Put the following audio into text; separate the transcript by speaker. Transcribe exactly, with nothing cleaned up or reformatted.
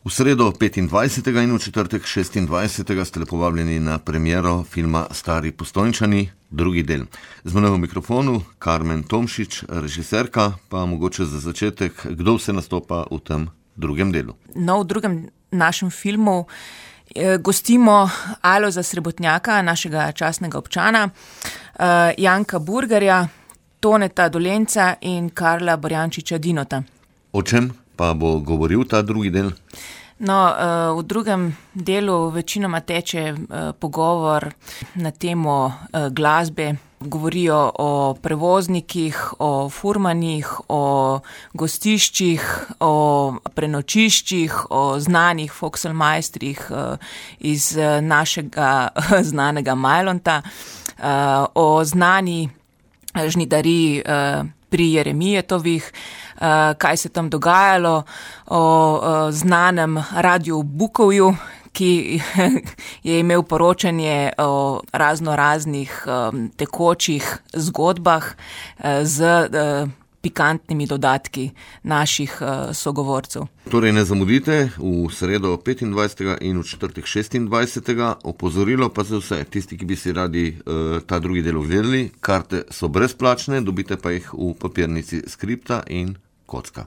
Speaker 1: V sredo petindvajsetega in v četrtek šestindvajsetega ste lepo vabljeni na premiero filma Stari Postojnčani, drugi del. Z menoj v mikrofonu Karmen Tomšič, režiserka, pa mogoče za začetek, kdo vse nastopa v tem drugem delu.
Speaker 2: No, v drugem našem filmu eh, gostimo Alojza Srebotnjaka, našega častnega občana, eh, Janka Burgerja, Toneta Dolenca in Karla Borjančiča Dinota.
Speaker 1: O čem pa bo govoril ta drugi del?
Speaker 2: No, v drugem delu večinoma teče pogovor na temo glasbe. Govorijo o prevoznikih, o furmanih, o gostiščih, o prenočiščih, o znanih folkselmajstrih iz našega znanega Majlonta, o znani žnidariji pri Jeremijetovih, kaj se tam dogajalo, o znanem Radiu Bukovju, ki je imel poročanje o razno raznih tekočih zgodbah z pikantnimi dodatki naših sogovorcev.
Speaker 1: Torej ne zamudite v sredo petindvajsetega in v četrtek šestindvajsetega. Opozorilo pa za vse, tisti, ki bi si radi uh, ta drugi del ogledali, karte so brezplačne, dobite pa jih v papirnici Skripta in Kocka.